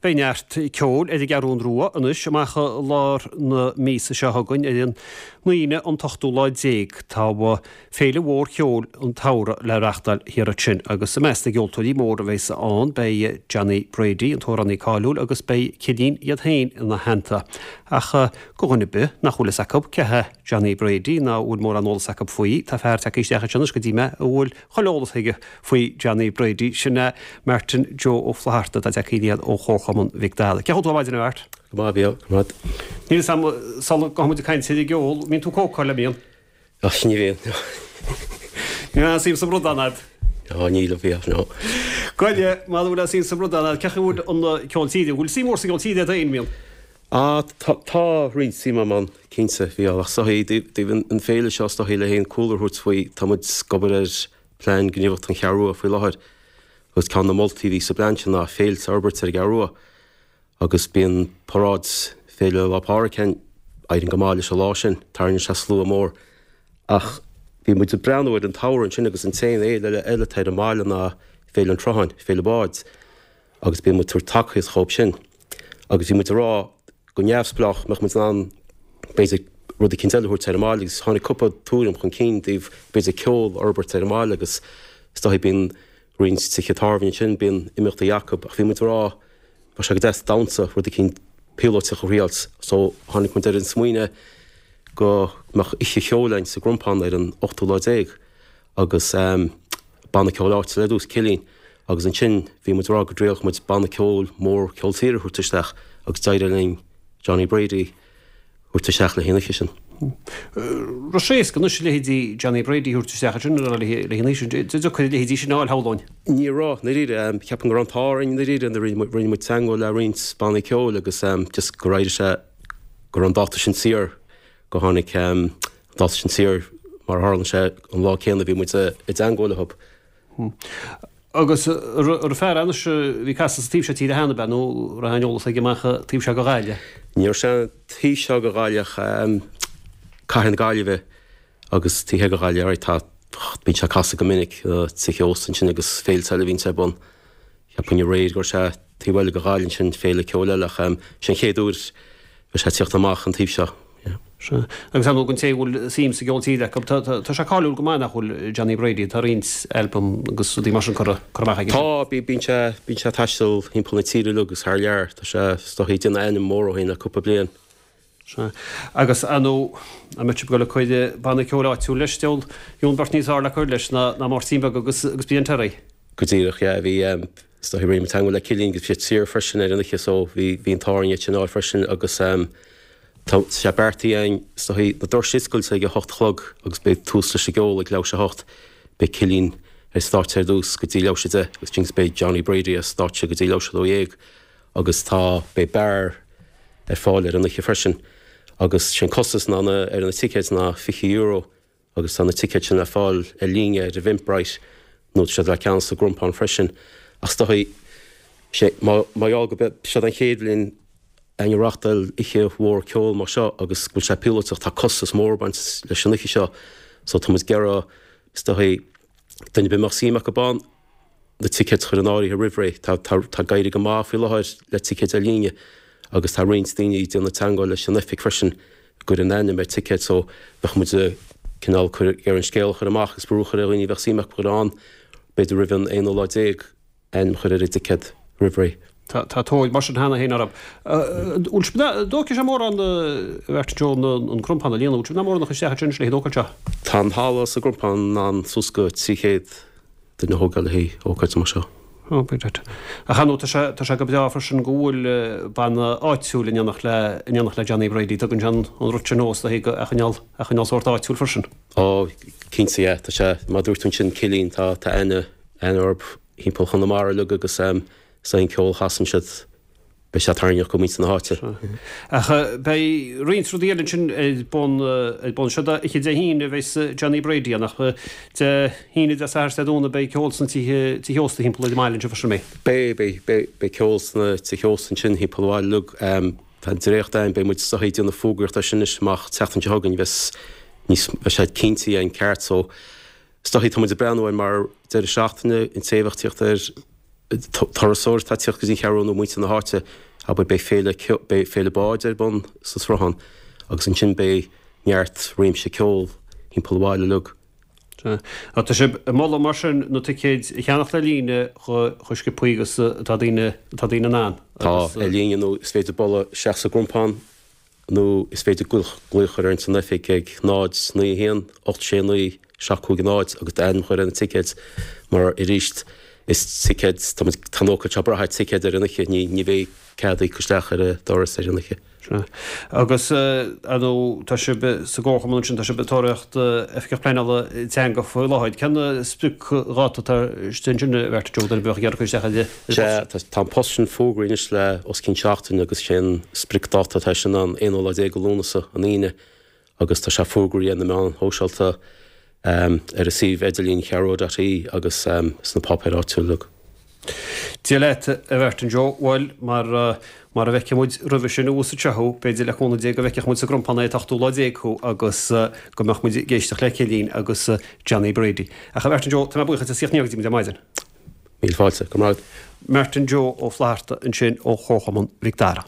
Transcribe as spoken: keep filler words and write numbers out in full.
Beidh neart ceoil ar an gCeathrú Rua anois amach i lár na míosa seo chugainn ar an Aoine an t-ochtú lá déag. Tá féile mhór cheoil an tsamhraidh le reáchtáil thiar ansin agus i measc na gceoltóirí mór a bheas ann beidh Johnny Brady, an t-amhránaí cáiliúil, agus beidh Cillín iad féin ina theannta. Ach do dhuine ar bith nach bhfuil fhios acu cé hé Johnny Brady ná bhfuil mórán eolas acu faoi, tá fear tagtha isteach anseo anois go dtí mé a bhfuil chuile eolas aige faoi Johnny Brady, sin é Martin Joe Ó Flatharta atá tagtha aniar ó Chomharchumann Mhic Dara. Cén chaoi a bhfuil tú ar maidin, a Mhart? Go maith, bhí, go maith. Níl fhios a'm sula ngabhfaidh muid ag caint ar an gceol, mbíonn tú ag cócáil, an mbíonn? Ach ní bhíonn. Níl aon suim sa mbrudán a'd? Á, níl a bhíodh, no. Goile, mura bhfuil aon suim sa mbrudán a'd, cén chaoi a bhfuil an ceol tíre, an bhfuil suim mhór sa gceol tíre a'd féin, mbíonn? Á, tá, tá roinnt suim agam ann, cinnte, bhí, ach is dóichí, dtaobh an féile seo is dóichí le haon cúlra a thabhairt faoi, tá muid ag obair ar plean gníomhaíochta an Cheathrú Rua faoi láthair, agus ceann de na moltaí a bhí sa bplean sin ná féilte a fhorbairt ar an Gceathrú Rua. Agus bíonn paráid Féile Lá Pádraig ann, éiríonn go maith leis an lá sin, tarraingíonn sé slua mór. Ach bhí muid ag breathnú ar an tsamhradh ansin agus an t-aon fhéile eile eile atá ar an mbaile ná Féile an tSrutháin, Féile Báid, agus bíonn muid ag tabhairt tacaíocht dhóibh sin. Agus bhí muid ag rá go neamhspleách mbeadh muid in ann b'fhéidir rud eicínt eile a thabhairt ar an mbaile agus tháinig cúpla tuairim chun cinn i dtaobh b'fhéidir ceol a fhorbairt ar an mbaile agus is dóichí bíonn roinnt tithe tábhairne ansin, bíonn imeachtaí acu ach bhí muid ag rá bheadh sé go deas damhsa, rud eicínt píolótach a thriáilt. So tháinig muid ar an smaoineamh go mbeadh oíche cheoil againn sa gCrompán ar an ochtú lá déag agus banna ceoil áitiúil ar dtús, Cillín, agus ansin bhí muid ag rá go dtriailfeadh muid banna ceoil mór ceol tíre a thabhairt isteach agus d'éirigh linn Johnny Brady thabhairt isteach le haghaidh an oíche sin. Raibh sé éasca anois leithéidí Johnny Brady a thabhairt isteach ansin le haghaidh an oíche sin. Deacair a leithéidí sin a fháil, shamhlóinn. Ní raibh, i ndáiríre. Ceapaim go raibh an t-ádh orainn i ndáiríre nuair a rinne muid teagmháil le roinnt bannaí ceoil agus just gur éirigh sé go raibh an dáta sin saor, go tháinig an dáta sin saor mar a tharlaíonn sé an lá céanna a bhí muid i dteagmháil leo. Agus an fear anois a bhí ag casadh sa taobh seo tíre cheana, ab ea, nó raibh aon eolas aige amach an taobh seo de Ghaillimh? Ní raibh sé an taobh seo de Ghaillimh ach cathair na Gaillimhe agus taobh thiar de Ghaillimh, alright, tá, bíonn sé ag casadh go minic, tithe ósta ansin agus féilte eile a bhíonns ar bun. Cheapfainn aréir go raibh sé taobh eile de Ghaillimh ansin, féile ceoil eile ach sé an chéad uair a bheidh sé ag tíocht amach an taobh seo. Sea. Agus ar ndóigh don té a bhfuil suim sa gceol tíre acu, tá, tá sé cáiliúil go maith nach bhfuil, Johnny Brady, tá roinnt albam agus rudaí mar sin curtha, curtha amach aige. Tá, bíonn sé, bíonn sé ag taisteal thimpeall na tíre uilig agus thar lear. Tá sé, is dóichí, ag déanamh ainm mór dhó féin le cúpla bliain. Sea. Agus ar ndóigh, an mbeadh sibh ag dul ag cur banna ceoil áitiúil leis, deabhal, gheobhainn beirt níos fearr le cur leis ná, ná Máirtín Beag agus, agus Brian Terry. Go díreach, yeah, bhí, is dóichí rinne muid teagmháil le Cillian agus bhí siad saor freisin ar an oíche so bhí, bhí an t-ádh orainn iad sin a fháil freisin agus, Tá sé beartaithe againn, is dóichí, na doirse a oscailt ag a hocht a chlog agus beidh tús leis an gceol ag leathuair tar éis a hocht. Beidh Cillín ar stáitse ar dtús go dtí leathuair tar éis a deich agus ansin beidh Johnny Brady ar stáitse go dtí leathuair tar éis a dó dhéag agus tá, beidh beár ar fáil ar an oíche freisin agus sé an costas ná na, ar na ticéid ná fiche euro agus tá na ticéid sin le fáil ar líne ar Eventbrite nó tá siad le ceannach sa gCrompán freisin ach is dóichí, sé, má, mar gheall go, seod an chéad bhliain againn ag reáchtáil oíche mhór ceoil mar seo agus go bhfuil sé píolótach, tá costas mór ag baint leis an oíche seo so tá muid ag iarraidh, is dóichí, duine ar bith a mbeadh suim acu ann, na ticéid a chur in áirithe roimh ré. Tá, tá, tá ag éirí go maith faoi láthair le ticéid ar líne agus tá roinnt daoine ag déanamh teagmháil leis an oifig freisin ag cur a n-ainm ar ticéid so bheadh muid ag cineál cur, ag iarraidh an scéal a chur amach agus brú a chur ar dhaoine a bheadh suim acu a bheith ann b'fhéidir roimh an aonú lá déag. Ainm a chur ar an dticéad roimh ré. Tá tóir mar sin cheana féin orthu. Bhfuil sibh in ann, an dtógfaidh sé mórán a Mhartin Joe an Crompán a líonadh, bhfuil sibh in ann mórán a chur isteach ansin leis an ócáid seo? Tá an halla sa gCrompán in ann suas go trí chéad duine a thógáil le haghaidh ócáid mar seo. Ó, b'fhéidir. Ach ar ndóigh tá sé, tá sé go breá freisin go bhfuil banna áitiúil in éineacht le, in éineacht le Johnny Brady. Tugann sé an rud sin nós le haghaidh a choinneáil, a choinneáil sórt áitiúil freisin. Ó, cinnte, yeah. Tá sé, mar a dúirt tú ansin, Cillín, tá, tá aithne, aithne orthu. thimpeall Chonamara uilig agus is é an ceol a chasann siad, beidh sé tarraingteach go muintir na háite. Ach beidh roinnt rudaí eile ansin ar bun, ar bun. Seod oíche Dé hAoine a bheas Johnny Brady ann ach Dé hAoine, Dé Sathairn is Dé Domhnaigh beidh ceol sna tithe, tithe ósta thimpeall ar an mbaile anseo freisin, an mbeidh? Beidh, beidh, beidh, beidh ceol sna tithe ósta ansin thimpeall an bhaile uilig. Tá an dréacht againn, beidh muid is dóichí ag déanamh fógraíocht air sin anois amach an tseachtain seo chugainn, bheas níos, beidh sé cinnte againn ceart so Is dóichí, tá muid ag breathnú air mar deireadh seachtaine, an té a bheadh ag tíocht ar turasóir atá ag tíocht go dtí an Cheathrú Rua nó muintir na háite, abair beidh féile beidh féile báid ar bun sa Sruthán agus ansin beidh neart réimse ceoil thimpeall an bhaile uilig. Sea. Tá sibh ag moladh mar sin na ticéid a cheannacht ar líne chomh sciobthaí agus atá daoine atá daoine in ann Tá, ar líne nó is féidir bualadh isteach sa gCrompán nó is féidir glaoch a chur orainn san oifig ag náid, naoi, a haon, ocht, sé, naoi, seacht, cúig, náid agus d'ainm a chur ar na ticéid mar arís is ticéid, tá muid, tá an ócáid seo ag brath ar ticéid ar an oíche, ní, ní bheidh cead íoc isteach ar an doras ar an oíche. Sea. Agus, ar ndóigh, tá sibh sa gComharchumann ansin, tá sibh ag tóraíocht Oifigeach Pleanála Teanga faoi láthair. Cén spriocdháta atá istigh ansin, a Mhartin Joe, duine a bheadh ag iarraidh cur isteach ar an post? Sea, tá, tá an post sin fógraithe anois le os cionn seachtain agus sé an spriocdháta atá sin an aonú lá déag de Lúnasa, an Aoine, agus tá sé fógraithe ar na meáin shóisialta, ar an suíomh idirlín cheathrúrua dot ie agus sna páipéir áitiúla uilig. Dia leat, a Mhartin Joe. Bhuel, mar, mara bhfeicfidh muid roimhe sin abhus anseo thú, b'fhéidir le cúnamh Dé go bhfeicfeadh muid sa gCrompán é an t-ochtú lá déag thú agus go mbeadh muid ag éisteacht le Cillín agus Johnny Brady. Ach a Mhartin Joe, tá mé buíoch duit as tíocht aniar go dtí muid ar maidin. Míle fáilte. Go raibh maith agat. Martin Joe Ó Flatharta ansin ó Chomharchumann Mhic Dara.